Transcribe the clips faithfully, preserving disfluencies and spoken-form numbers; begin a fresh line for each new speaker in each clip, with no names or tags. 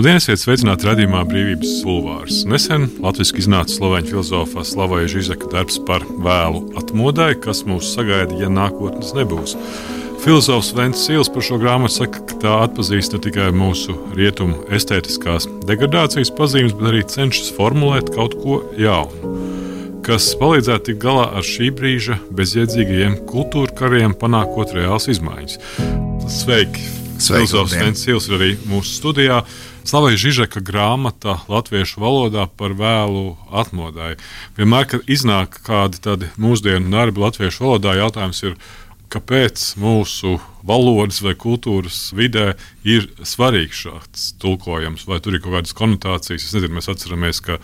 Labdien, esiet sveicināti raidījumā Brīvības bulvārs. Nesen latviski iznāca slovēņu filozofa Slavoja Žižeka darbs par vēlu atmodai, kas mūs sagaida, ja nākotnes nebūs. Filozofs Vents Sīls par šo grāmatu saka, ka tā atpazīst ne tikai mūsu rietumu estētiskās degradācijas pazīmes, bet arī cenšas formulēt kaut ko jaunu, kas palīdzētu tikt galā ar šī brīža bezjēdzīgajiem kultūra kariem, panākot reāls izmaiņas. Sveiki! Filozofs Vents Sīls ir arī mūsu studijā. Slavoja Žižeka grāmata latviešu valodā par vēlu atmodai. Vienmēr, kad iznāk kādi tādi mūsdienu darbi latviešu valodā, jautājums ir, kāpēc mūsu valodas vai kultūras vidē ir svarīgs šāds tulkojums, vai tur ir kaut kādas konotācijas. Es nezinu, mēs atceramies, ka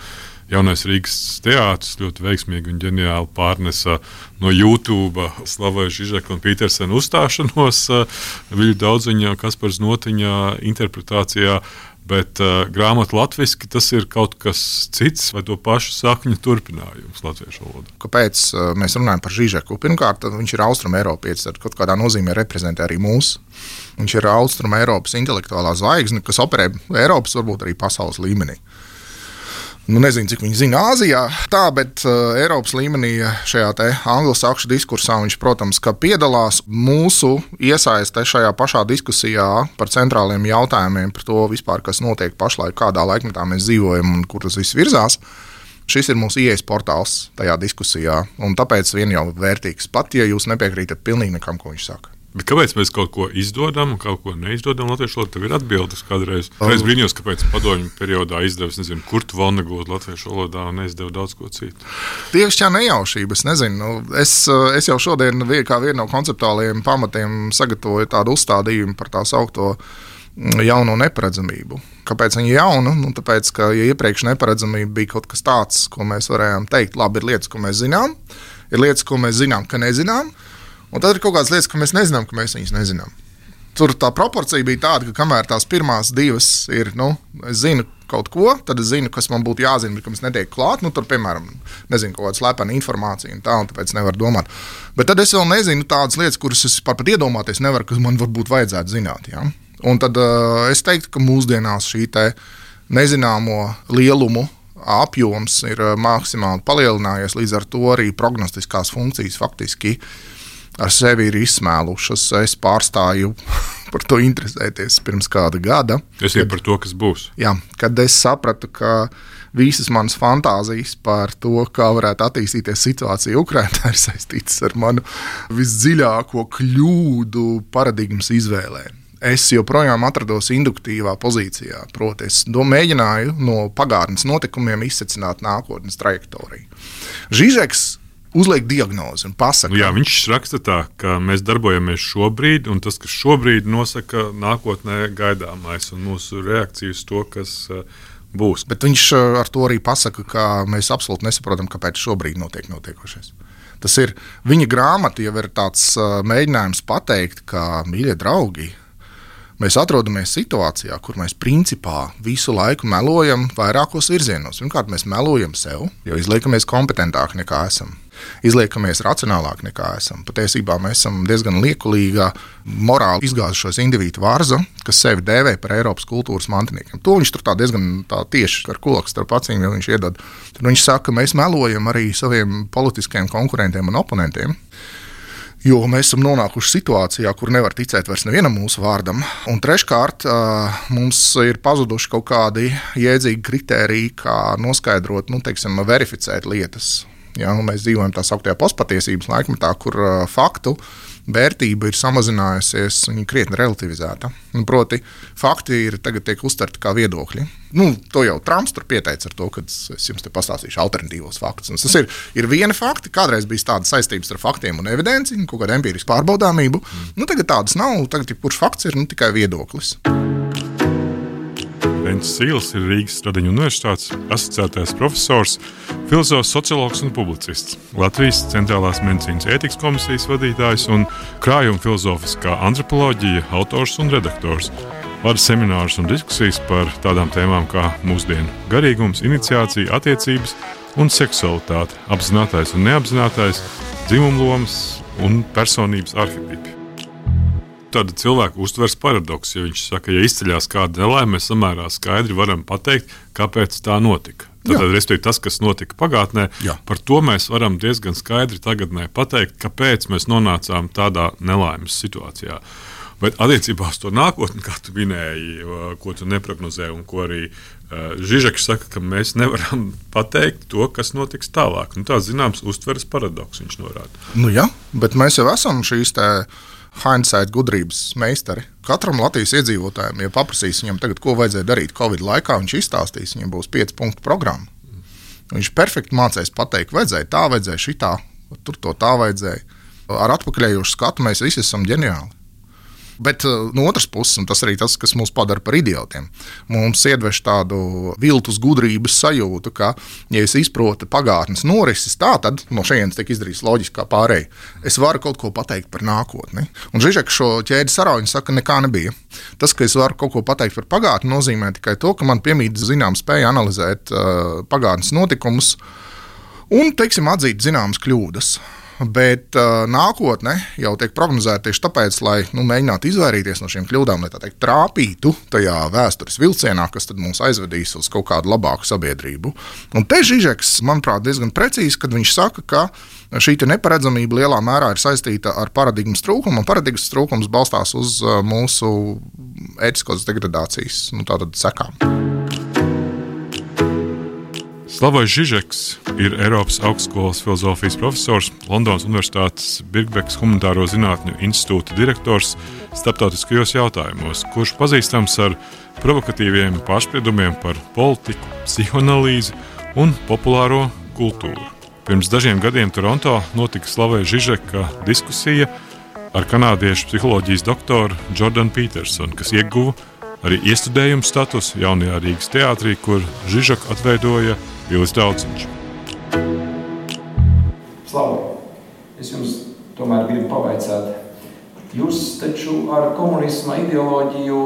Jaunais Rīgas teātris ļoti veiksmīgi un ģeniāli pārnesa no YouTube Slavoja Žižeka un Pītersena uzstāšanos Viļu Daudziņa, Kaspars Notiņa interpretācijā, bet uh, grāmata latviski tas ir kaut kas cits vai to pašu sakņu turpinājums latviešu valodā.
Kāpēc uh, mēs runājam par Žižeku? Pirmkārt, viņš ir Austrumeiropietis, tad kaut kādā nozīmē reprezentē arī mūs. Viņš ir Austrumeiropas intelektuālā zvaigzne, kas operē Eiropas, varbūt arī pasaules līmenī. Nu, nezinu, cik viņi zina Āzijā, tā, bet uh, Eiropas līmenī šajā te anglosakšu diskursā viņš, protams, ka piedalās mūsu iesaiste šajā pašā diskusijā par centrāliem jautājumiem, par to vispār, kas notiek pašlaik, kādā laikmetā mēs dzīvojam un kur tas viss virzās. Šis ir mūsu ieejas portāls tajā diskusijā, un tāpēc vien jau vērtīgs, pat ja jūs nepiekrītat pilnīgi nekam, ko viņš saka.
Bet kāpēc mēs kaut ko izdodam un kaut ko neizdodam latviešu valodā? Tev ir atbildes kādreiz. Es brīnījos, kāpēc padomju periodā izdevis, nezinu, Kurtu Vonnegutu latviešu valodā un neizdeva daudz ko citu.
Tieši tā nejaušība, es nezinu. Es, es jau šodien kā vienu no konceptuālajiem pamatiem sagatavoju tādu uzstādījumu par tā saukto jauno neparedzamību. Kāpēc viņa jauna? Nu, tāpēc, ka ja iepriekš neparedzamība bija kaut kas tāds, ko mēs varējām teikt, labi, ir lietas, ko mēs zinām, ir lietas, ko mēs zinām, ka nezinām, un tad ir kaut kādas lietas, ka mēs nezinām, ka mēs viņas nezinām. Tur tā proporcija bija tāda, ka kamēr tās pirmās divas ir, nu, es zinu kaut ko, tad es zinu, kas man būtu jāzina, bet kam es netieku klāt, nu, tur, piemēram, nezinu, kaut kāda slepena informācija un tā, un tāpēc nevaru domāt. Bet tad es vēl nezinu tādas lietas, kuras es par pat iedomāties nevaru, kas man varbūt vajadzētu zināt, ja? Un tad uh, es teiktu, ka mūsdienās šī te nezināmo lielumu apjoms ir uh, maksimāli palielinājies, līdz ar to arī prognostiskās funkcijas faktiski ar sevi ir izsmēlušas. Es pārstāju par to interesēties pirms kāda gada.
Es jau par to, kas būs.
Jā, kad es sapratu, ka visas manas fantāzijas par to, kā varētu attīstīties situācija Ukrainā, ir saistītas ar manu visdziļāko kļūdu paradigmas izvēlē. Es joprojām atrados induktīvā pozīcijā, proti es mēģināju no pagātnes notikumiem izsecināt nākotnes trajektoriju. Žižeks uzliek diagnozi un pasaka.
Nu jā, viņš raksta tā, ka mēs darbojamies šobrīd, un tas, kas šobrīd nosaka nākotnē gaidāmais un mūsu reakciju uz to, kas uh, būs.
Bet viņš ar to arī pasaka, ka mēs absolūti nesaprotam, kāpēc šobrīd notiek notiekošais. Tas ir, viņa grāmata jau ir tāds uh, mēģinājums pateikt, ka, mīļie draugi, mēs atrodamies situācijā, kur mēs principā visu laiku melojam vairākos virzienos. Pirmkārt, mēs melojam sev, jo izliekamies kompetentāki nekā esam. Izliekamies racionālāk nekā esam. Patiesībā mēs esam diezgan liekulīgā, morāli izgāzušos individu varza, kas sevi dēvē par Eiropas kultūras mantiniekiem. To viņš tur tā diezgan tā tieši ar kulaks starp acīm, jo viņš iedod. Tad viņš saka, ka mēs melojam arī saviem politiskajiem konkurentiem un oponentiem, jo mēs esam nonākuši situācijā, kur nevar ticēt vairs nevienam mūsu vārdam. Un treškārt, mums ir pazuduši kaut kādi jēdzīgi kritēriji, kā noskaidrot, nu, teiksim, verificēt lietas. Ja, mēs dzīvojam tā sauktajā postpatiesības laikmetā, kur uh, faktu vērtība ir samazinājusies, viņa ir krietni relativizēta. Un proti, fakti ir tagad tiek uztverti kā viedokļi. Nu, to jau Trumps tur pieteica ar to, kad es jums te pastāstīšu alternatīvos faktus. Un tas ir, ir viena fakti, kādreiz bija tādas saistības ar faktiem un evidenci, kaut kāda empirisku pārbaudāmību. Mm. Nu, tagad tādas nav, tagad jebkurš fakts ir nu, tikai viedoklis.
Vents Sīls ir Rīgas Stradiņu universitātes asociētais profesors, filozofs, sociologs un publicists, Latvijas Centrālās medicīnas ētikas komisijas vadītājs un krājuma filozofiskā antropoloģija autors un redaktors. Vada seminārus un diskusijas par tādām tēmām kā mūsdienu garīgums, iniciācija, attiecības un seksualitāte, apzinātais un neapzinātais, dzimumlomas un personības arhetipi. Tāda cilvēka uztveres paradoks, jo viņš saka, ja izceļās kāda nelaime, mēs samērā skaidri varam pateikt, kāpēc tā notika. Tātad, respektīvi, tas, kas notika pagātnē, Jā. Par to mēs varam diezgan skaidri tagadnē pateikt, kāpēc mēs nonācām tādā nelaimes situācijā. Bet attiecībā uz to nākotni, kā tu minēji, ko tu neprognozē un ko arī uh, Žižeks saka, ka mēs nevaram pateikt to, kas notiks tālāk. Nu, tā zināms uztveres paradoks viņš norāda.
Nu jā, bet mēs jau esam šīs te hindsight gudrības meistari. Katram Latvijas iedzīvotājiem, ja paprasīs viņam tagad, ko vajadzēja darīt Covid laikā, viņš izstāstīs, viņam būs pieci punktu programma. Viņš perfekti mācēs pateikt, vajadzēja tā, vajadzēja šitā, tur to tā vajadzēja. Ar atpakaļējošu skatu mēs visi esam ģeniāli. Bet no otras puses, un tas arī tas, kas mūs padara par idiotiem, mums iedveš tādu viltus gudrības sajūtu, ka, ja es izprotu pagātnes norises, tā tad no šejienes tiek izdarīts loģiskā pārēja. Es varu kaut ko pateikt par nākotni. Un Žižeks šo ķēdi sarauņu saka, nekā nebija. Tas, ka es varu kaut ko pateikt par pagātni, nozīmē tikai to, ka man piemīt zinām spēja analizēt uh, pagātnes notikumus un, teiksim, atzīt zināmas kļūdas. Bet uh, nākotne jau tiek prognozēta tieši tāpēc, lai nu, mēģinātu izvairīties no šīm kļūdām, lai tā teikt, trāpītu tajā vēstures vilcienā, kas tad mūs aizvedīs uz kaut kādu labāku sabiedrību. Un te Žižeks, manuprāt, diezgan precīzi, kad viņš saka, ka šī neparedzamība lielā mērā ir saistīta ar paradigmas trūkumu, un paradigmas trūkums balstās uz uh, mūsu ētiskos degradācijas nu, tātad sekām.
Slavojs Žižeks ir Eiropas augstskolas filozofijas profesors, Londonas Universitātes Birkbekas humanitāro zinātņu institūta direktors starptautiskajos jautājumos, kurš pazīstams ar provokatīviem pārspriedumiem par politiku, psihoanalīzi un populāro kultūru. Pirms dažiem gadiem Toronto notika Slavojs Žižeka diskusija ar kanādiešu psiholoģijas doktoru Jordanu Petersonu, kas ieguva arī iestudējumu statusu jaunajā Rīgas teātrī, kur Žižeku atveidoja Vilis Daudziņš.
Slavo, es jums tomēr gribu pavaicāt. Jūs taču ar komunisma ideoloģiju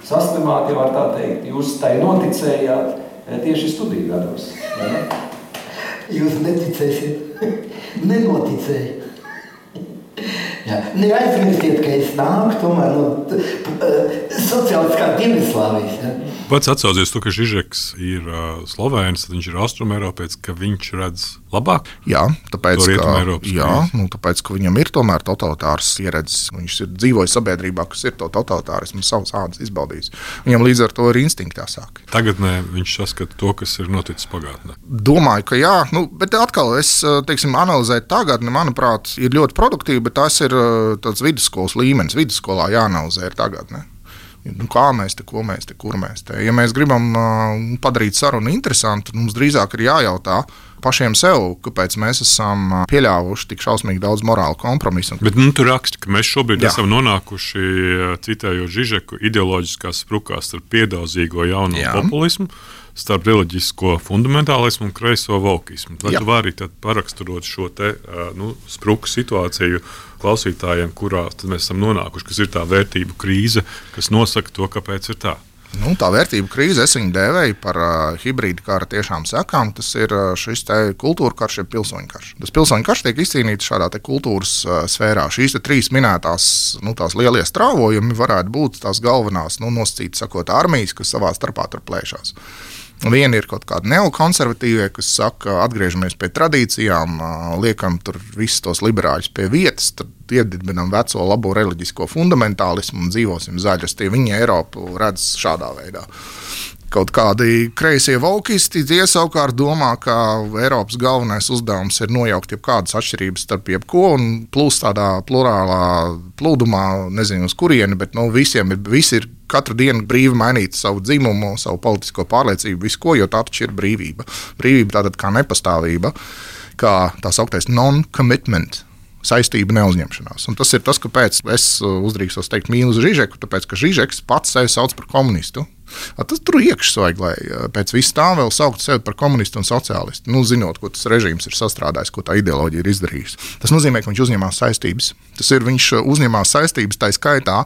saslimāt, jau var tā teikt, jūs tai noticējāt tieši studiju gados, vai ne?
Jūs neticēsiet, nenoticēju. Jā. Neaizmirstiet, ka es nāku tomēr no sociālistiskā Dienvidslāvijas. Ja?
Pats atsaucies to, ka Žižeks ir uh, Slovēns, tad viņš ir Austrumēropietis, ka viņš redz labāk?
Jā, tāpēc, ka, jā nu, tāpēc, ka viņam ir tomēr totalitārs ieredzes. Viņš ir dzīvojis sabiedrībā, kas ir to totalitārismu savas ādas izbaudījis. Viņam līdz ar to ir instinkti jāsāk.
Tagadnē viņš saskata to, kas ir noticis pagātnē.
Domāju, ka jā, nu, bet atkal es, teiksim, analizēt tagadni, manuprāt, ir ļoti produktīvi, bet tas ir tāds vidusskolas līmenis. Vidusskolā jāanalizē ir tagadne. Nu, kā mēs te, ko mēs te, kur mēs te. Ja mēs gribam uh, padarīt sarunu interesantu, mums drīzāk ir jājautā pašiem sev, kāpēc mēs esam pieļāvuši tik šausmīgi daudz morālu kompromisu.
Bet nu, tu raksti, ka mēs šobrīd Jā. esam nonākuši, citējot Žižeku, ideoloģiskās sprukās starp piedauzīgo jauno Jā. populismu, starp reliģisko fundamentālismu un kreiso volkismu. Vai Jā. tu vari tad paraksturot šo te, nu, spruku situāciju klausītājiem, kurā mēs esam nonākuši, kas ir tā vērtību krīze, kas nosaka to, kāpēc ir tā?
Nu, tā vērtību krīze, es viņu dēvēju par uh, hibrīdu kara tiešām sekām. Tas ir uh, šis te kultūra karš, jeb pilsoņu karš. Tas pilsoņu karš tiek izcīnīts šādā te kultūras uh, sfērā. Šīs te trīs minētās nu, tās lielie strāvojumi varētu būt tās galvenās, nu, nosacītas sakot, armijas, kas savā starpā tur plēšās. Viena ir kaut kāda neokonservatīvie, kas saka, atgriežamies pie tradīcijām, liekam tur visus tos liberāļus pie vietas, tad iedibinam veco labo reliģisko fundamentālismu un dzīvosim zaļas. Tie viņi Eiropu redz šādā veidā. Kaut kādi kreisie volkisti, tie savukārt domā, ka Eiropas galvenais uzdevums ir nojaukt jebkādas atšķirības starp jebko un plūst tādā plurālā plūdumā, nezinu uz kurieni, bet nu, visiem ir, visi ir katru dienu brīvi mainīt savu dzimumu, savu politisko pārliecību, visu ko, jo tā taču ir brīvība. Brīvība tātad kā nepastāvība, kā tā sauktais non-commitment. Saistība neuzņemšanās. Un tas ir tas, kāpēc es uzdrīkstos teikt mīlu uz Žižeku, tāpēc, ka Žižeks pats sevi sauc par komunistu. Tas tur iekšs vajag, lai pēc viss tā vēl saukt sevi par komunistu un sociālistu. Nu, zinot, ko tas režīms ir sastrādājis, ko tā ideoloģija ir izdarījusi. Tas nozīmē, ka viņš uzņemās saistības. Tas ir, viņš uzņemās saistības tā skaitā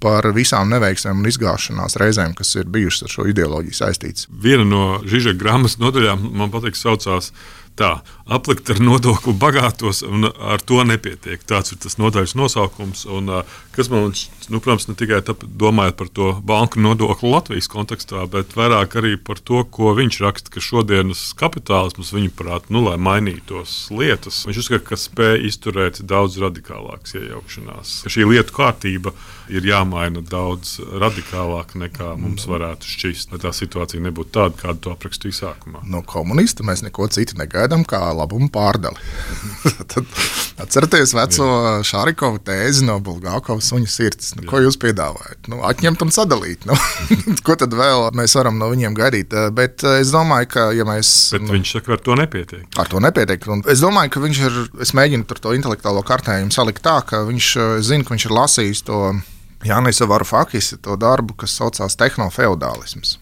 par visām neveiksmēm un izgāšanās reizēm, kas ir bijušas ar šo ideoloģiju saistītas.
Viena no Žižeka grāmatas nodaļām, man patīk, saucās Tā, aplikt ar nodokli bagātos, un ar to nepietiek. Tāds ir tas nodaļas nosaukums. Un, kas man, nu, protams, ne tikai tāp, domājot par to banku nodokli Latvijas kontekstā, bet vairāk arī par to, ko viņš raksta, ka šodienas kapitālisms, viņuprāt, nu, lai mainītos lietas, viņš uzskata, ka spēj izturēt daudz radikālākas iejaukšanās. Ka šī lietu kārtība ir jāmaina daudz radikālāk nekā mums varētu šķist, lai tā situācija nebūtu tāda, kādu to aprakstīju sākumā.
No komunista mēs neko citu negaidām kā labumu pārdali. Tad atcerieties veco Šārikovu tēzi no Bulgākovas suņa sirds. Nu, ko jūs piedāvājat? Nu, atņemt un sadalīt. Nu, ko tad vēl mēs varam no viņiem gaidīt? Bet es domāju, ka ja mēs...
Bet nu, viņš saka, ar to nepietiek.
Ar to nepietiek. Un es domāju, ka viņš ir, es mēģinu tur to intelektuālo kartējumu salikt tā, ka viņš zina, ka viņš ir lasījis to Jānisa Varufakis, to darbu, kas saucās tehnofeudālisms.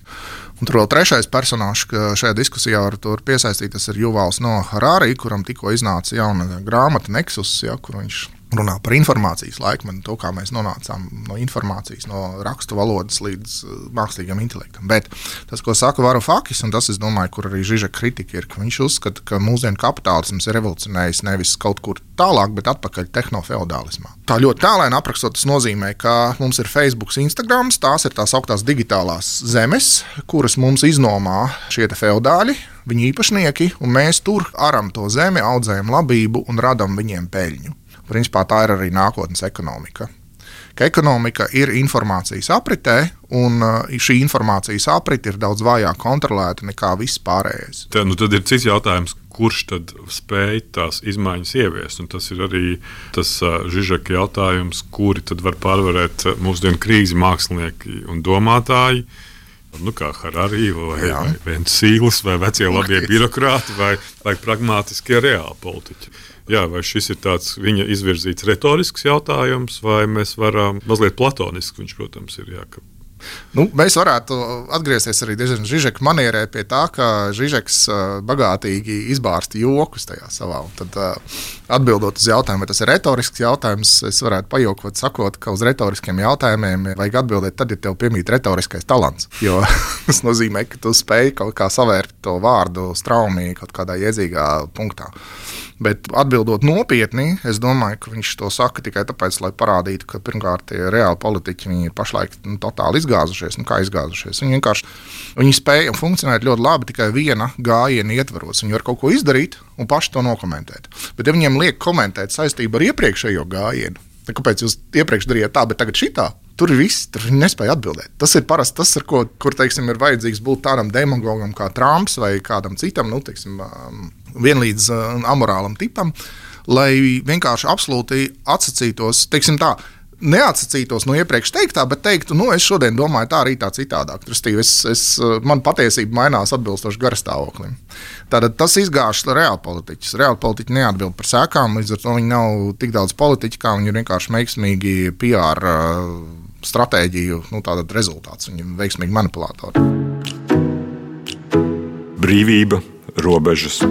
Un tur vēl trešais personāžs, ka šajā diskusijā var piesaistīt, tas ir Juvals no Harari, kuram tikko iznāca jauna grāmata Nexus, ja, kur viņš runā par informācijas laikmetu, to, kā mēs nonācām no informācijas, no rakstu valodas līdz mākslīgam intelektam. Bet tas, ko saka Varufakis, un tas, es domāju, kur arī Žižeka kritika ir, ka viņš uzskata, ka mūsdienu kapitālisms ir revolucionējis nevis kaut kur tālāk, bet atpakaļ tehnofeudālismā. Tā ļoti tālēni aprakstot, tas nozīmē, ka mums ir Facebook, Instagrams, tās ir tās augtās digitālās zemes, kuras mums iznomā šie te feudāļi, viņu īpašnieki, un mēs tur aram to zemi, audzējam labību un radam viņiem peļņu. Principā tā ir arī nākotnes ekonomika. Ka ekonomika ir informācijas apritē, un šī informācijas aprite ir daudz vājāk kontrolēta nekā viss pārējais.
Tā, nu tad ir cits jautājums, kurš tad spēj tās izmaiņas ieviest, un tas ir arī tas uh, Žižeka jautājums, kuri tad var pārvarēt mūsdienu krīzi mākslinieki un domātāji, nu kā Harari vai, vai Vencīlis vai vecie labie birokrāti vai, vai pragmātiskie reāli politiķi. Jā, vai šis ir tāds viņa izvirzīts retorisks jautājums, vai mēs varam mazliet platonisks, viņš, protams, ir, jā, ka...
Nu, mēs varētu atgriezties arī Žižeka manierē pie tā, ka Žižeks bagātīgi izbārsta jokus tajā savā. Un tad, atbildot uz jautājumu, vai tas ir retorisks jautājums, es varētu pajokot sakot, ka uz retoriskiem jautājumiem vajag atbildēt tad, ja tev piemīt retoriskais talants. Jo tas nozīmē, ka tu spēj kaut kā savērt to vārdu straumī kaut kādā iedzīgā punktā. Bet atbildot nopietni, es domāju, ka viņš to saka tikai tāpēc, lai parādītu, ka pirmkārt tie reāli politiķi viņi ir pašlaik nu, totāli izgāzušies. Nu, kā izgāzušies? Viņi vienkārši viņi spēja funkcionēt ļoti labi tikai viena gājiena ietvaros. Viņi var kaut ko izdarīt un paši to nokomentēt. Bet ja viņiem liek komentēt saistību ar iepriekšējo gājienu, kāpēc jūs iepriekš darījāt tā, bet tagad šitā? Tur ir viss, tur viņi nespēja atbildēt. Tas ir parasti tas, ar ko, kur, teiksim, ir vajadzīgs būt tādam demagogam kā Trumps vai kādam citam, nu, teiksim, vienlīdz amorālam tipam, lai vienkārši absolūti atsacītos, teiksim tā, neatsacītos no iepriekš teiktā, bet teiktu, nu, es šodien domāju tā, rītā citādāk. Es, es, man patiesība mainās atbilstoši garastāvoklim. Tātad tas izgāž reāli politiķus. Reāli politiķi neatbild par sekām, līdz ar to viņi nav tik daudz politiķi, kā viņi ir vienkārši veiksmīgi P R stratēģiju, nu, tātad rezultāts. Viņi ir veiksmīgi manipulātori.
Brīvība, robežas,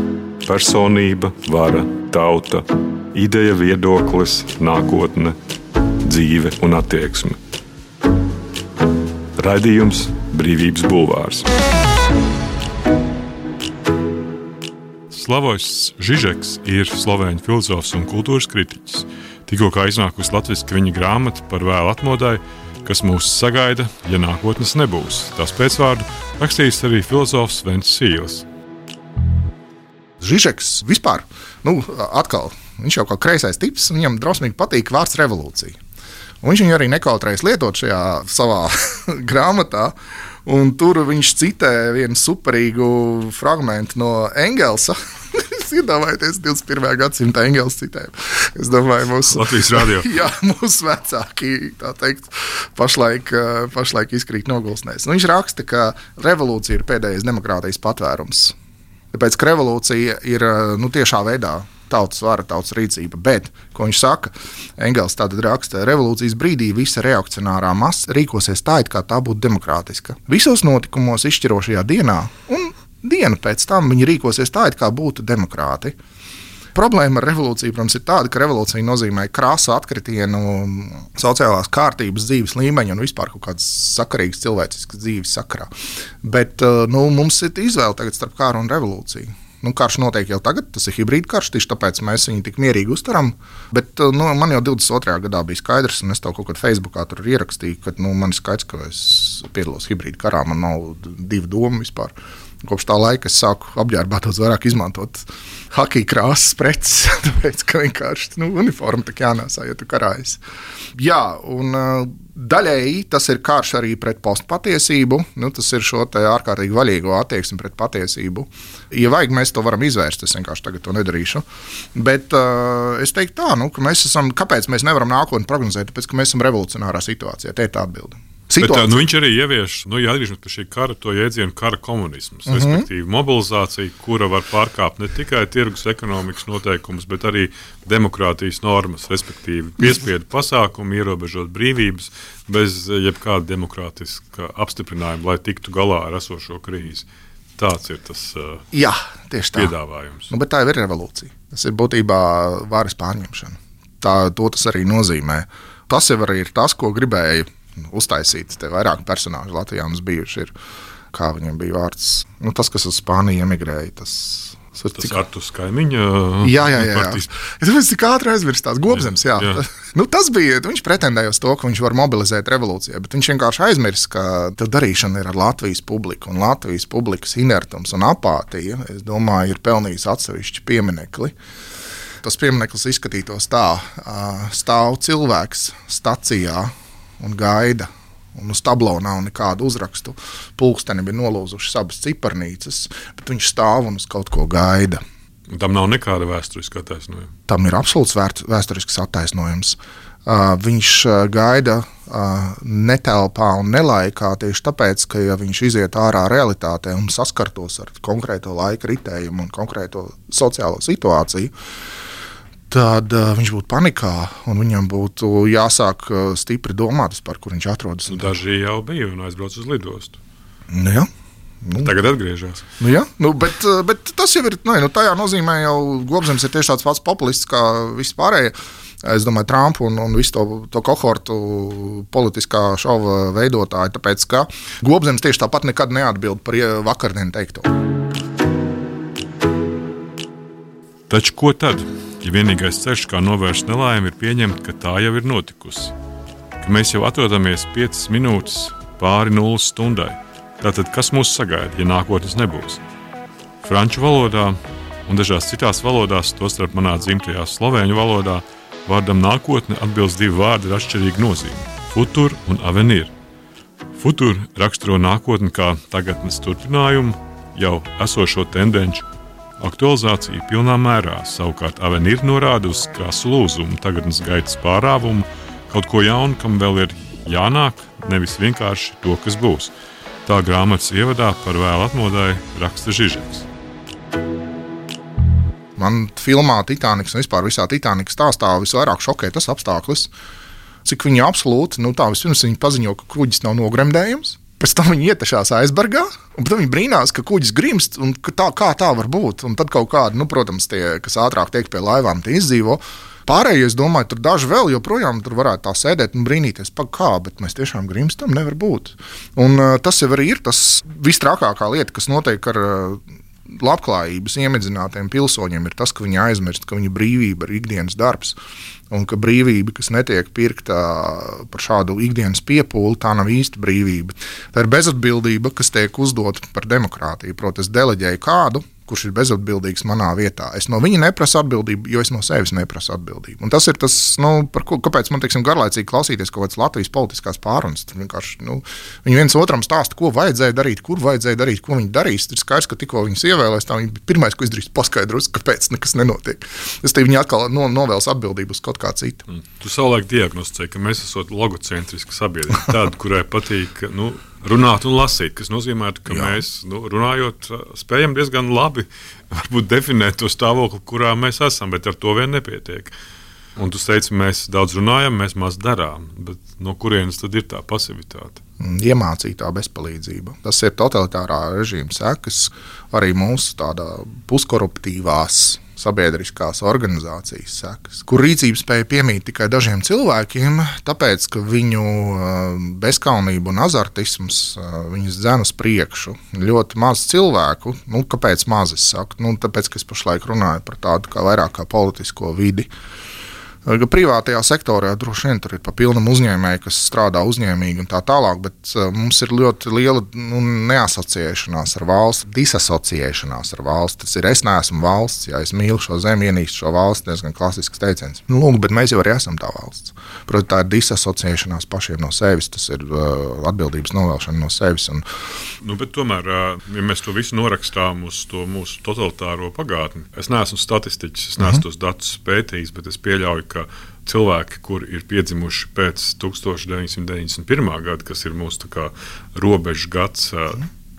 personība, vara, tauta, ideja, viedoklis, nākotne, dzīve un attieksme. Raidījums Brīvības bulvārs.
Slavojs Žižeks ir slovēņu filozofs un kultūras kritiķis. Tikko kā iznākusi latviski viņa grāmata par vēlu atmodai, kas mūs sagaida, ja nākotnes nebūs. Tās pēcvārdu rakstījis arī filozofs Vencīlis.
Žižeks vispār, nu, atkal, viņš jau kā kreisais tips, viņam drausmīgi patīk vārds revolūcija. Un viņš viņu arī nekautrējas lietot šajā savā grāmatā, un tur viņš citē vienu superīgu fragmentu no Engelsa. Jūs iedomājaties divdesmit pirmā gadsimta Engels citējumu. Es domāju, mūsu
Latvijas radio.
Jā, mūsu vecāki, tā teikt, pašlaik, pašlaik izkrīt nogulsnēs. Un viņš raksta, ka revolūcija ir pēdējais demokrātijas patvērums. Tāpēc, ka revolūcija ir nu, tiešā veidā tautas vara, tautas rīcība, bet, ko viņš saka, Engels tātad raksta, revolūcijas brīdī visa reakcionārā masa rīkosies tā, it kā tā būtu demokrātiska. Visos notikumos izšķirošajā dienā un dienu pēc tam viņi rīkosies tā, it kā būtu demokrāti. Problēma ar revolūciju, protams, ir tāda, ka revolūcija nozīmē krāsu atkritienu sociālās kārtības dzīves līmeņa un vispār kaut kādas sakarīgas cilvēciskas dzīves sakarā. Bet nu, mums ir izvēle tagad starp kāru un revolūciju. Nu, karš notiek jau tagad, tas ir hibrīda karš, tieši tāpēc mēs viņu tik mierīgi uztaram. Bet nu, man jau divdesmit otrajā gadā bija skaidrs, un es tev kaut kad Facebookā tur ierakstīju, ka nu, man ir skaidrs, ka es piedalos hibrīda karā, man nav divu domu vispār. Kopš tā laika es sāku apģērbā daudz vairāk izmantot hakija krāsas preces, tāpēc, ka vienkārši nu, uniforma tak jānāsā, ja tu karājies. Jā, un uh, daļēji tas ir karš arī pret postpatiesību, nu, tas ir šo te ārkārtīgi vaļīgo attieksmi pret patiesību. Ja vajag, mēs to varam izvērst, es vienkārši tagad to nedarīšu. Bet uh, es teiktu tā, nu, ka mēs esam, kāpēc mēs nevaram nākotni prognozēt, tāpēc, ka mēs esam revolucionārā situācijā, te ir tā atbilde.
Bet, nu, viņš arī ievieš, nu, ja atgriežamies pie šī kara, to jēdzienu kara komunisms, mm-hmm. respektīvi mobilizācija, kura var pārkāpt ne tikai tirgus ekonomikas noteikumus, bet arī demokrātijas normas, respektīvi piespiedu pasākumu, ierobežot brīvības bez jebkāda demokrātiska apstiprinājuma, lai tiktu galā ar esošo krīzi. Tāds ir tas uh,
Jā, tieši tā.
piedāvājums.
Nu, bet tā jau ir revolūcija. Tas ir būtībā varas pārņemšana. Tā, to tas arī nozīmē. Tas jau arī ir tas, ko gribēja uztaisīts. Te vairāk personāžu Latvijā mums bijuši ir, kā viņiem bija vārds, nu, tas, kas uz Spāniju emigrēja, tas...
Tas cik... Artus Kaimiņa
jā, jā, jā, jā. Es cik ātri aizmirst tās Gobzems, jā. jā. Nu, tas bija, viņš pretendēja uz to, ka viņš var mobilizēt revolūcijā, bet viņš vienkārši aizmirst, ka tā darīšana ir ar Latvijas publiku, un Latvijas publikas inertums un apātija, es domāju, ir pelnījis atsevišķi pieminekli. Tas piemineklis izskatītos tā, stāv cilvēks stacijā, un gaida, un uz tablo nav nekādu uzrakstu. Pulksteni bija nolūzušas abas ciparnīcas, bet viņš stāv un uz kaut ko gaida.
Tam nav nekāda vēsturiska attaisnojuma.
Tam ir absolūts vēsturisks attaisnojums. Uh, viņš gaida uh, netelpā un nelaikā tieši tāpēc, ka ja viņš iziet ārā realitātē un saskartos ar konkrēto laika ritējumu un konkrēto sociālo situāciju, tad uh, viņš būtu panikā, un viņam būtu jāsāk uh, stipri domāt, par kur viņš atrodas.
Nu, daži jau bija un aizbrauc uz lidostu.
Nu, jā. Nu,
Tagad atgriežas.
Nu, jā, nu, bet, bet tas jau ir, nu, tajā nozīmē jau Gobzems ir tieši tāds pats populists kā vispārējie. Es domāju, Trumpu un, un visu to, to kohortu politiskā šova veidotāju, tāpēc, ka Gobzems tieši tāpat nekad neatbild par vakardien teikto.
Taču ko tad? Ja vienīgais ceļš, kā novērst nelaimi, ir pieņemt, ka tā jau ir notikusi. Ka mēs jau atrodamies piecas minūtes pāri nulles stundai. Tātad, kas mūs sagaida, ja nākotnes nebūs? Franču valodā un dažās citās valodās, tostarp manā dzimtajā slovēņu valodā, vārdam nākotne atbilst divi vārdi ar atšķirīgu nozīmi – futur un avenir. Futur raksturo nākotni kā tagadnes turpinājumu, jau esošo tendenču aktualizācija pilnā mērā, savukārt avenir norāda uz krasu lūzumu, tagadnes gaitas pārāvumu, kaut ko jaunu, kam vēl ir jānāk, nevis vienkārši to, kas būs. Tā grāmatas ievadā par vēlu atmodai raksta Žižeks.
Man filmā Titaniks un vispār visā Titanikas stāstā visvairāk šokē tas apstākļus, cik viņi absolūti, nu tā vispirms viņi paziņo, ka kuģis nav nogremdējums. Pēc tam viņi ietešās aizbergā, un tad viņi brīnās, ka kuģis grimst, un ka tā, kā tā var būt. Un tad kaut kādi, nu, protams, tie, kas ātrāk tiek pie laivām, tie izdzīvo. Pārējie, es domāju, tur daži vēl joprojām tur varētu tā sēdēt un brīnīties, pa kā, bet mēs tiešām grimstam, nevar būt. Un uh, tas jau arī ir tas visstrakākā lieta, kas notiek ar uh, labklājības iemidzinātiem pilsoņiem, ir tas, ka viņi aizmirst, ka viņa brīvība ir ikdienas darbs. Un ka brīvība, kas netiek pirkta par šādu ikdienas piepūli, tā nav īsta brīvība. Tā ir bezatbildība, kas tiek uzdota par demokrātiju. Proti, es deleģēju kādu, kurš ir bezatbildīgs manā vietā. Es no viņa neprasu atbildību, jo es no sevis neprasu atbildību. Un tas ir tas, nu, par ko, kāpēc man, teiksim, garlaicīgi klausīties kaut kādas Latvijas politiskās pārunas. Vienkārši, nu, viņi viens otram stāsta, ko vajadzēja darīt, kur vajadzēja darīt, ko viņi darīs. Ir skaidrs, ka tikko viņus ievēlēs, tā viņi pirmais, ko izdarīs, paskaidros, kāpēc nekas nenotiek. Es te viņi atkal no, novēls atbildību uz kaut kā citu.
Mm. Tu savulaik diagnosticēji, ka mēs esam logocentriska sabiedrība, tāda, kurai patīk, nu, runāt un lasīt, kas nozīmē, ka Jā. mēs, nu, runājot, spējam diezgan labi varbūt definēt to stāvokli, kurā mēs esam, bet ar to vien nepietiek. Un tu teici, mēs daudz runājam, mēs maz darām, bet no kurienes tad ir tā pasivitāte?
Iemācītā bezpalīdzība. Tas ir totalitārā režīma sekas, arī mūsu tādā puskoruptīvās sabiedriskās organizācijas sekas, kur rīcības spēja piemīt tikai dažiem cilvēkiem, tāpēc, ka viņu bezkaunība un azartisms viņus dzen uz priekšu. Ļoti maz cilvēku, nu, kāpēc maz es saku? Nu, tāpēc, ka es pašlaik runāju par tādu kā vairāk kā politisko vidi. Privātajā sektorā droši vien tur ir pa pilnam uzņēmēji, kas strādā uzņēmīgi un tā tālāk, bet mums ir ļoti liela nu, neasociēšanās ar valsti, disasociēšanās ar valsti. Tas ir es neesmu valsts, ja es mīlu šo zemi, ienīstu šo valsti, diezgan klasisks teiciens. Nu, lūk, bet mēs jau arī esam tā valsts. Protams, tā ir disasociēšanās pašiem no sevis, tas ir uh, atbildības novēlšana no sevis. Un...
Nu, bet tomēr, ja mēs to visu norakstām uz to mūsu totalitāro pagātni, es neesmu statistiķis, es neesmu uh-huh. tos datus pētījis, bet es pieļauju, ka cilvēki, kuri ir piedzimuši pēc tukstovš deviņsimt deviņdesmit pirmā gada, kas ir mūsu robežu gads,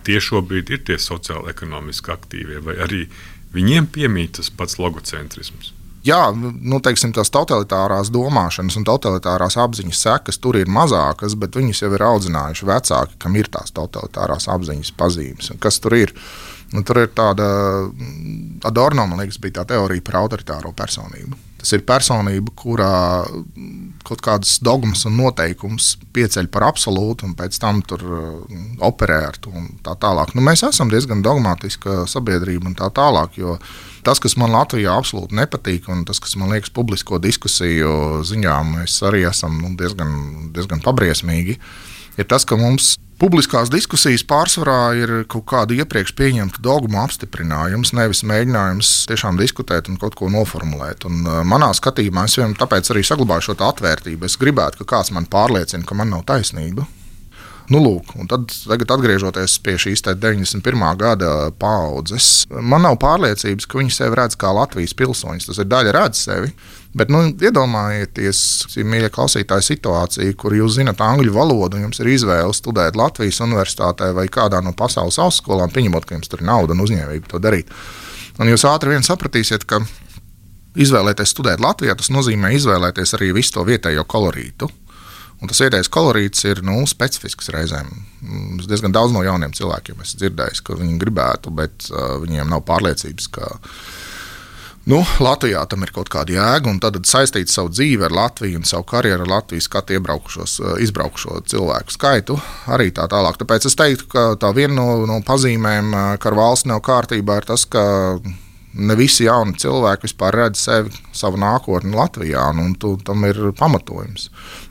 tie šobrīd ir tie sociāli ekonomiski aktīvie, vai arī viņiem piemīt tas pats logocentrisms?
Jā, nu, teiksim, tās totalitārās domāšanas un totalitārās apziņas sekas tur ir mazākas, bet viņus jau ir audzinājuši vecāki, kam ir tās totalitārās apziņas pazīmes. Un kas tur ir? Nu, tur ir tāda, Adorno, man liekas, bija tā teorija par autoritāro personību. Tas ir personība, kurā kaut kādas dogmas un noteikums pieceļ par absolūtu un pēc tam tur operē ar to un tā tālāk. Nu, mēs esam diezgan dogmatiska sabiedrība un tā tālāk, jo tas, kas man Latvijā absolūti nepatīk un tas, kas man liekas publisko diskusiju ziņā, mēs arī esam nu, diezgan, diezgan pabriesmīgi, ir tas, ka mums publiskās diskusijas pārsvarā ir kaut kāda iepriekš pieņemta dogma apstiprinājums, nevis mēģinājums tiešām diskutēt un kaut ko noformulēt. Un, uh, manā skatījumā es vienam tāpēc arī saglabāju šo atvērtību. Es gribētu, ka kāds man pārliecina, ka man nav taisnība. Nu, lūk, un tad, tagad atgriežoties pie šīs deviņdesmit pirmā gada paaudzes, man nav pārliecības, ka viņi sevi redz kā Latvijas pilsoņus. Tas ir daļa redz sevi, bet nu, iedomājieties, mīļie klausītāji, situāciju, kur jūs zinat angļu valodu un jums ir izvēle studēt Latvijas universitātē vai kādā no pasaules augstskolām, pieņemot, ka jums tur ir nauda un uzņēmība to darīt. Un jūs ātri vien sapratīsiet, ka izvēlēties studēt Latvijā, tas nozīmē izvēlēties arī visu to vietējo kolorītu. Un tas vietējais kolorīts ir nu, specifisks reizēm. Es diezgan daudz no jauniem cilvēkiem esmu dzirdējis, ka viņi gribētu, bet uh, viņiem nav pārliecības, ka nu, Latvijā tam ir kaut kāda jēga, un tad saistīt savu dzīvi ar Latviju un savu karjeru ar Latviju skatu iebraukušos, izbraukušo cilvēku skaitu arī tā tālāk. Tāpēc es teiktu, ka tā viena no, no pazīmēm, ka ar valsts nav kārtībā, ir tas, ka ne visi jauni cilvēki vispār redz sevi, savu nākotni Latvijā, un tu, tam ir pamatojums.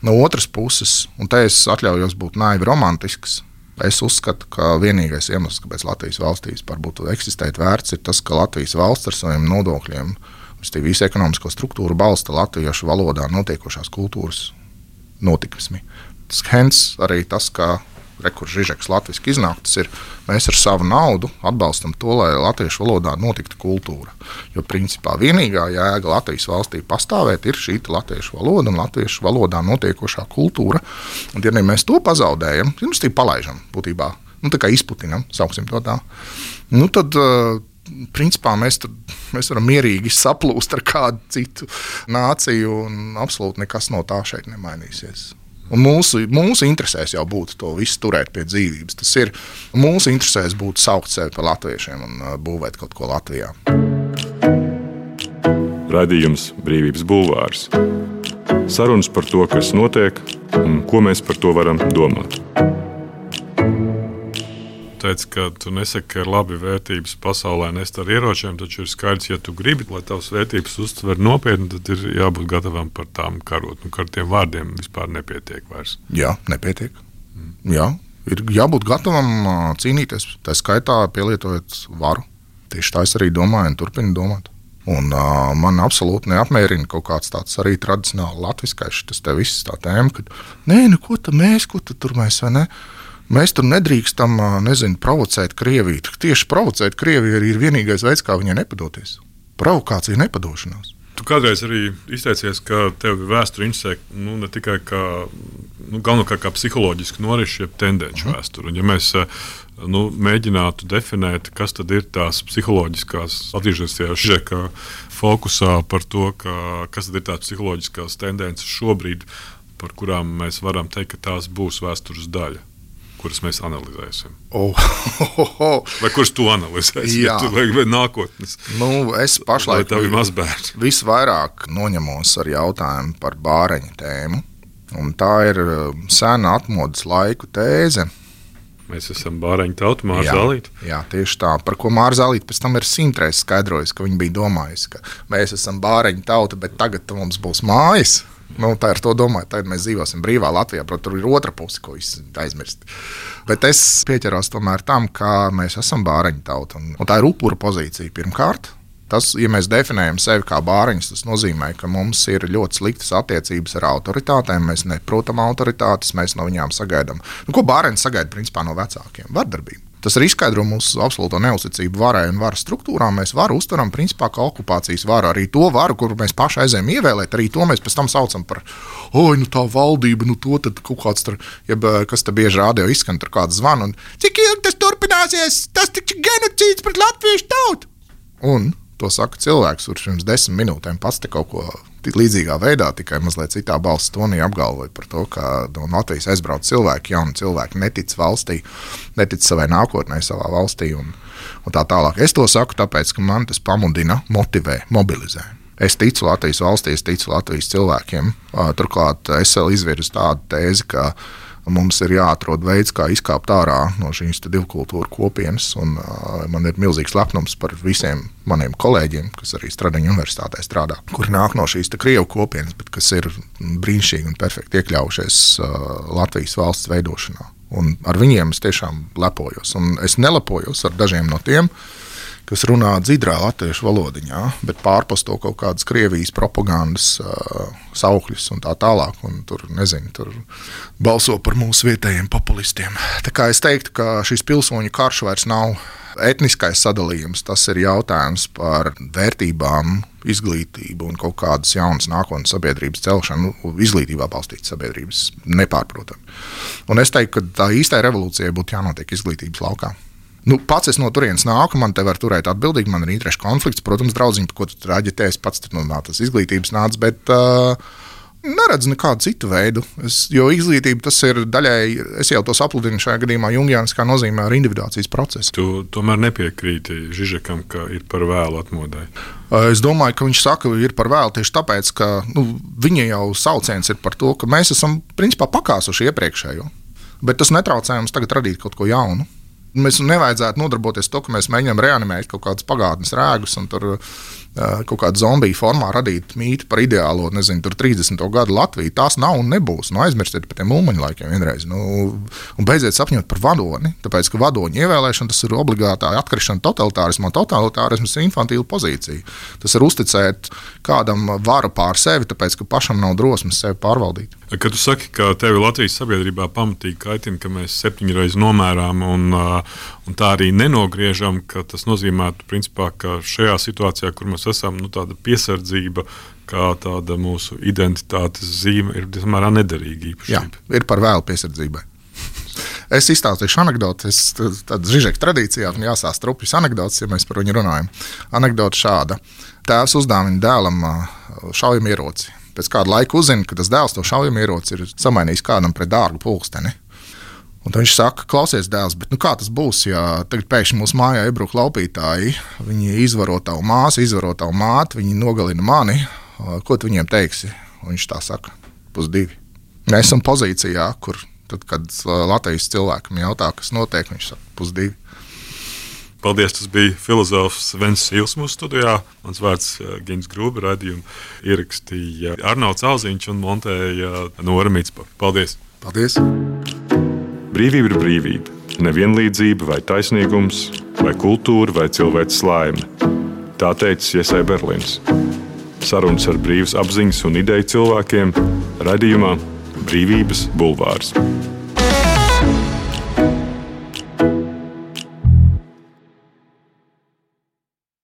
No otras puses, un te es atļaujos būt naivi romantisks, es uzskatu, ka vienīgais iemesls, kāpēc Latvijas valstī vispār būtu eksistēt vērts, ir tas, ka Latvijas valsts ar saviem nodokļiem, visu ekonomisko struktūru balsta latviešu valodā notiekošās kultūras notikumi. Tas hens arī tas, ka Rekur Žižeks latviski iznāk, tas ir, mēs ar savu naudu atbalstam to, lai latviešu valodā notiktu kultūra. Jo principā vienīgā jēga Latvijas valstī pastāvēt ir šī latviešu valoda un latviešu valodā notiekošā kultūra. Un ja mēs to pazaudējam, tad mēs tī palaižam būtībā, nu tā kā izputinam, sauksim to tā, nu tad uh, principā mēs, tad, mēs varam mierīgi saplūst ar kādu citu nāciju un absolūti nekas no tā šeit nemainīsies. Un mūsu, mūsu interesēs jau būtu to visu turēt pie dzīvības. Tas ir mūsu interesēs būtu saukt sevi par latviešiem un uh, būvēt kaut ko Latvijā.
Raidījums Brīvības bulvārs. Sarunas par to, kas notiek un ko mēs par to varam domāt.
Teici, ka tu nesaki, ka ir labi vērtības pasaulē nest ar ieročiem, taču ir skaidrs, ja tu gribi, lai tavas vērtības uztver nopietni, tad ir jābūt gatavam par tām karot. Nu, ar tiem vārdiem vispār nepietiek vairs.
Jā, nepietiek. Mm. Jā, ir jābūt gatavam cīnīties. Tā skaitā pielietojot varu. Tieši tā es arī domāju un turpinu domāt. Un uh, man absolūti neapmierina kaut kāds tāds arī tradicionāli latviskais tas te viss tā tēma, ka nē, nu ko tad mēs, ko tad tur mēs, vai ne? Mēs tur nedrīkstam, nezinu, provocēt Krieviju. Tieši provocēt Krieviju arī ir vienīgais veids, kā viņai nepadoties. Provokācija nepadošanās.
Tu kādreiz arī izteicies, ka tev vēsture interesē nu, ne tikai kā, nu, galvenokārt kā psiholoģiski norišu, jeb tendenci mm. vēsturi. Un ja mēs nu, mēģinātu definēt, kas tad ir tās psiholoģiskās, atgriežoties tajā Žižeka fokusā par to, ka, kas tad ir tās psiholoģiskās tendences šobrīd, par kurām mēs varam teikt, ka tās būs vēstures daļa. kuras mēs analizēsim?
Oh, oh, oh.
Vai kuras tu analizēsi?
Jā.
Ja vai, vai nākotnes?
Nu, es pašlaik
tev ir mazbērns.
Visvairāk noņemos ar jautājumu par bāreņu tēmu. Un tā ir sena atmodas laiku tēze.
Mēs esam bāreņu tauta, Māra Zālīte.
Jā, tieši tā. Par ko Māra Zālīte pēc tam ir simtreiz skaidrojusi, ka viņa bija domājusi, ka mēs esam bāreņu tauta, bet tagad mums būs mājas. Nu, tā ir to domāju, tagad mēs dzīvosim brīvā Latvijā, protams, tur ir otra puse, ko viss aizmirst. Bet es pieķeros tomēr tam, ka mēs esam bāreņu tauta, un, un tā ir upura pozīcija pirmkārt. Tas, ja mēs definējam sevi kā bāreņus, tas nozīmē, ka mums ir ļoti sliktas attiecības ar autoritātēm, mēs neprotam autoritātes, mēs no viņām sagaidām. Nu, ko bāreņi sagaida principā no vecākiem? Vardarbību. Tas arī izskaidro mūsu absolūto neuzticību varai un varas struktūrām. Mēs varu uztveram principā kā okupācijas varu. Arī to varu, kuru mēs paši aizējām ievēlēt, arī to mēs pēc tam saucam par oi, nu tā valdība, nu to tad kaut kāds tur, jeb, kas te bieži rādio izskan, tur kāds zvan, un cik ilgi tas turpināsies, tas taču genocīds pret latviešu tautu. Un to saka cilvēks, kurš pirms desmit minūtēm pats te kaut ko līdzīgā veidā, tikai mazliet citā balss tonī apgalvoja par to, ka no Latvijas aizbrauc cilvēki, jauni cilvēki netic valstī, netic savai nākotnē, savā valstī un, un tā tālāk. Es to saku tāpēc, ka man tas pamudina, motivē, mobilizē. Es ticu Latvijas valstī, es ticu Latvijas cilvēkiem. Turklāt es vēl izvirzu tādu tēzi, ka mums ir jāatrod veids, kā izkāpt ārā no šīs divu kultūru kopienas, un uh, man ir milzīgs lepnums par visiem maniem kolēģiem, kas arī Stradiņu universitātē strādā, kuri nāk no šīs krievu kopienas, bet kas ir brīnišķīgi un perfekti iekļaujušies uh, Latvijas valsts veidošanā. Un ar viņiem es tiešām lepojos, un es nelepojos ar dažiem no tiem, kas runā dzidrā latviešu valodiņā, bet pārposto kaut kādas Krievijas propagandas uh, saukļus un tā tālāk, un tur, nezinu, tur balso par mūsu vietējiem populistiem. Tā kā es teiktu, ka šis pilsoņu karš vairs nav etniskais sadalījums, tas ir jautājums par vērtībām, izglītību un kaut kādas jaunas nākotnes sabiedrības celšanu, izglītībā balstītas sabiedrības nepārprotami. Un es teiktu, ka tā īstai revolūcijai būtu jānotiek izglītības laukā. Nu, pats es no turienes nāku, man te var turēt atbildīgi, man ir interešu konflikts, protams, draudziņi, ko tu tur aģitēsi, pats tur no tas izglītības nāc, bet uh, neredzu nekādu citu veidu, es, jo izglītība tas ir daļai, es jau to sapludinu šajā gadījumā jungiāniskā nozīmē ar individuācijas procesu.
Tu tomēr nepiekrīti Žižekam, ka ir par vēlu atmodai?
Uh, es domāju, ka viņš saka, ka ir par vēlu tieši tāpēc, ka nu, viņa jau sauciens ir par to, ka mēs esam principā pakāsuši iepriekšējo, bet tas netraucē mums tagad radīt kaut ko jaunu. Mēs nevajadzētu nodarboties to, ka mēs mēģinām reanimēt kaut kādus pagātnes rēgus un tur uh, kaut kādu zombiju formā radīt mītu par ideālo, nezinu, tur trīsdesmito gadu Latviju. Tās nav un nebūs. Nu, aizmirstiet par tiem ulmaņu laikiem vienreiz. Nu, un beidziet sapņot par vadoni, tāpēc, ka vadoņu ievēlēšana tas ir obligātā atkrišana totalitārismā. Totalitārisms ir infantīla pozīcija. Tas ir uzticēt kādam varu pār sevi, tāpēc, ka pašam nav drosmes sevi pārvaldīt.
Kad tu saki, ka tevi Latvijas sabiedrībā pamatīgi kaitina, ka mēs septiņreiz nomērām un, un tā arī nenogriežam, ka tas nozīmētu, principā, ka šajā situācijā, kur mēs esam, nu, tāda piesardzība, kā tāda mūsu identitātes zīme, ir samērā nederīga īpašība.
Jā, ir par vēlu piesardzībai. Es izstāstīšu anekdoti, es tāda Žižeka tradīcijā, un jāsāst rupjas anekdotas, ja mēs par viņu runājam. Anekdota šāda. Tēvs uzdāvina dēlam šaujamieroci. Pēc kāda laika uzzina, ka tas dēls to šaujamieroci ir samainījis kādam pret dārgu pulksteni. Un tad viņš saka, klausies dēls, bet nu kā tas būs, ja tagad pēkšņi mūsu mājā iebruk laupītāji, viņi izvaro tavu māsu, izvaro tavu māti, viņi nogalina mani, ko tu viņiem teiksi? Un viņš tā saka, pusdivi. Mēs esam pozīcijā, kur tad, kad Latvijas cilvēkam jautā, kas notiek, viņš saka, pusdivi.
Paldies, tas bija filozofs Vens Sils mūsu studijā. Mans vārds Gins Grūbe, raidījumu ierakstīja Arnolds Alziņš un montēja Nora Micpa. Paldies!
Paldies!
Brīvība ir brīvība. Nevienlīdzība vai taisnīgums, vai kultūra vai cilvēks laime. Tā teica Iesai Berlins. Sarunas ar brīvas apziņas un ideju cilvēkiem raidījumā Brīvības bulvārs.